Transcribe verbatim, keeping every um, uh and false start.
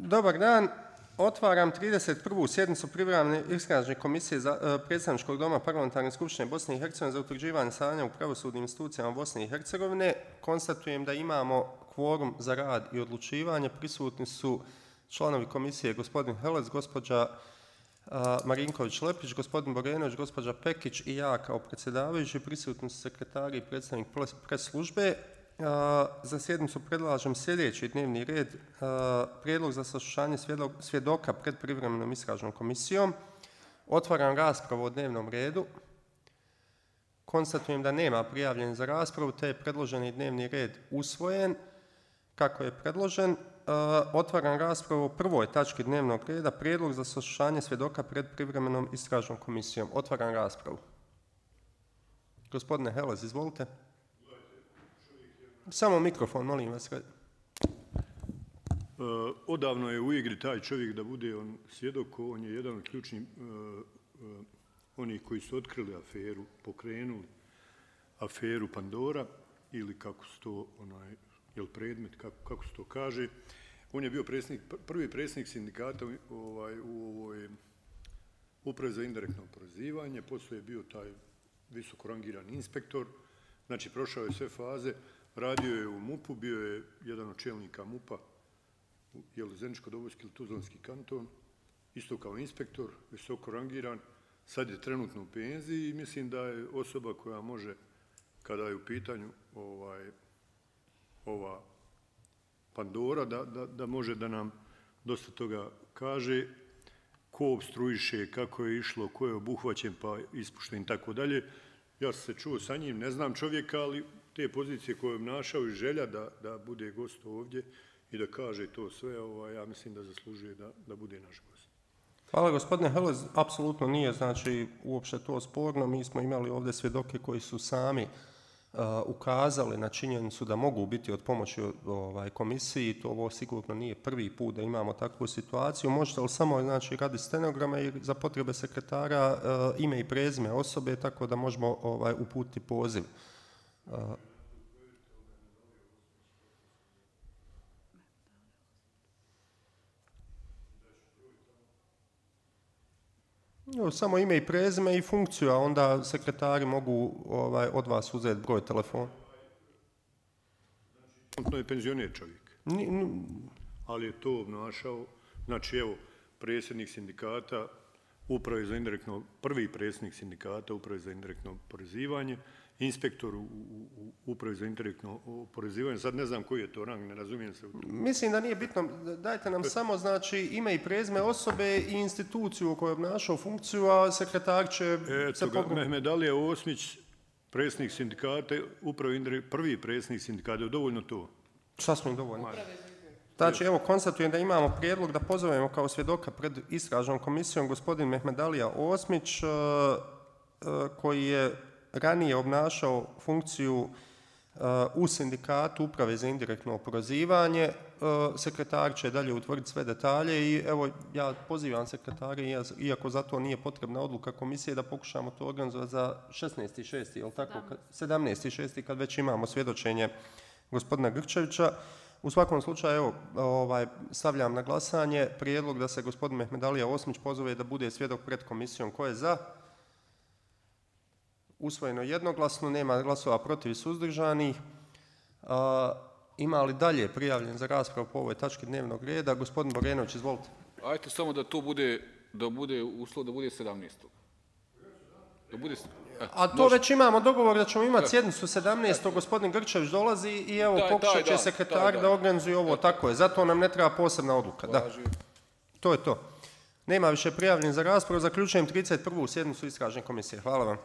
Dobar dan. Otvaram trideset prvu sjednicu privremene istražne komisije za uh, predstavničkog doma Parlamentarne skupštine Bosne i Hercegovine za utvrđivanje stanja u pravosudnim institucijama Bosne i Hercegovine. Konstatujem da imamo kvorum za rad i odlučivanje. Prisutni su članovi komisije gospodin Helec, gospođa uh, Marinković-Lepić, gospodin Borenović, gospođa Pekić i ja kao predsjedavajući. Prisutni su sekretari i predstavnik pres službe. Uh, za sjednicu predlažem sljedeći dnevni red, uh, prijedlog za saslušanje svjedoka pred privremenom istražnom komisijom. Otvaram raspravu o dnevnom redu. Konstatujem da nema prijavljenih za raspravu, te je predloženi dnevni red usvojen kako je predložen. Uh, otvaram raspravu o prvoj tački dnevnog reda, prijedlog za saslušanje svjedoka pred privremenom istražnom komisijom. Otvaram raspravu. Gospodine Helez, izvolite. Samo mikrofon, molim vas. Uh, odavno je u igri taj čovjek da bude on svjedok, on je jedan od ključnih uh, uh, onih koji su otkrili aferu, pokrenuli aferu Pandora, ili kako se to, onaj, jel predmet, kako, kako se to kaže. On je bio predsjednik, prvi predsjednik sindikata ovaj, u ovoj upravi za indirektno oporezivanje, poslije je bio taj visoko rangirani inspektor, znači prošao je sve faze. Radio je u MUP-u, bio je jedan od čelnika MUP-a, je li Zeničko-Dobojski ili Tuzlanski kanton, isto kao inspektor, visoko rangiran, sad je trenutno u penziji i mislim da je osoba koja može, kada je u pitanju ovaj, ova Pandora, da, da, da može da nam dosta toga kaže, ko obstruiše, kako je išlo, ko je obuhvaćen pa ispušten i tako dalje. Ja sam se čuo sa njim, ne znam čovjeka, ali te pozicije koje je obnašao i želja da, da bude gost ovdje i da kaže to sve, ovaj, ja mislim da zaslužuje da, da bude naš gost. Hvala gospodine Helez, apsolutno nije znači uopšte to sporno. Mi smo imali ovdje svjedoke koji su sami uh, ukazali na činjenicu da mogu biti od pomoći ovaj, komisiji. To ovo sigurno nije prvi put da imamo takvu situaciju. Možete li samo znači, radi stenograma i za potrebe sekretara uh, ime i prezime osobe, tako da možemo ovaj, uputiti poziv. Uh, Samo ime i prezime i funkciju, a onda sekretari mogu ovaj, od vas uzeti broj telefona. To je penzioner čovjek, Ni, ni... ali je to obnašao, znači evo, predsjednik sindikata, uprave za indirektno, prvi predsjednik sindikata, uprave za indirektno oporezivanje, inspektor u, u, u upravi za indirektno oporezivanje, sad ne znam koji je to rang, ne razumijem se u to. Mislim da nije bitno, dajte nam samo znači ime i prezime osobe i instituciju u kojoj je obnašao funkciju, a sekretar će e, se pogledati. Mehmedalija Osmić, predsjednik sindikata, upravi, prvi predsjednik sindikata, je dovoljno to? Sasvim dovoljno. Znači, evo, konstatujem da imamo prijedlog da pozovemo kao svjedoka pred istražnom komisijom gospodin Mehmedalija Osmić, uh, uh, koji je ranije obnašao funkciju uh, u sindikatu uprave za indirektno oporezivanje. Uh, sekretar će dalje utvrditi sve detalje i evo, ja pozivam sekretare, iako za to nije potrebna odluka komisije, da pokušamo to organizovati za šesnaesti šesti, jel tako? sedamnaesti šesti kad već imamo svjedočenje gospodina Grčevića. U svakom slučaju, evo, ovaj, stavljam na glasanje prijedlog da se gospodin Mehmedalija Osmić pozove da bude svjedok pred komisijom. Ko je za? Usvojeno jednoglasno, nema glasova protiv i suzdržanih. A, ima li dalje prijavljen za raspravu po ovoj tački dnevnog reda? Gospodin Borenović, izvolite. Ajte samo da to bude, da bude uslov da bude sedamnaestog Da bude... E, A to može. Već imamo dogovor da ćemo imati sjednicu sedamnaestog Gospodin Grčević dolazi i evo taj, pokušat će sekretar da, da organizuje ovo. E, tako je, zato nam ne treba posebna odluka. Da. To je to. Nema više prijavljen za raspravu. Zaključujem trideset prvu sjednicu istražne komisije. Hvala vam.